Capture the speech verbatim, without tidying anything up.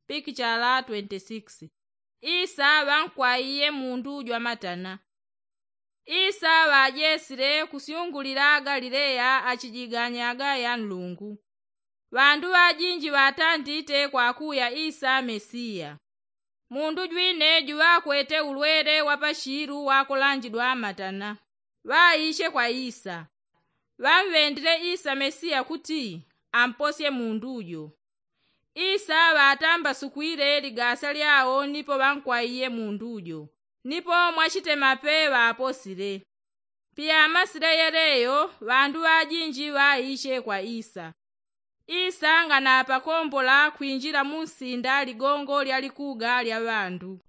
Pikichala twenty six. Isa ŵankwaiye mundu jwamatana. Isa ŵajesile kusyungulila galileya achijiganyaga ya nlungu. Ŵandu ŵajinji ŵatandite kwakuya isa mesiya. Mundu jwine juŵakwete ulwele wa pashilu wakulanjidwa matana. Ŵaiche kwa isa. Ŵamŵendile isa mesiya kuti amposye mundu jo. Isa ŵatambasukwile ligasa lyao nipo ŵankwaiye mundu jo. Nipo mwachitemape ŵaposile. Piyamasile yeleyo ŵandu ŵajinji ŵaiche kwa isa. Isa nganapakombola kwinjila munsinda ligongo lya likuga lya ŵandu.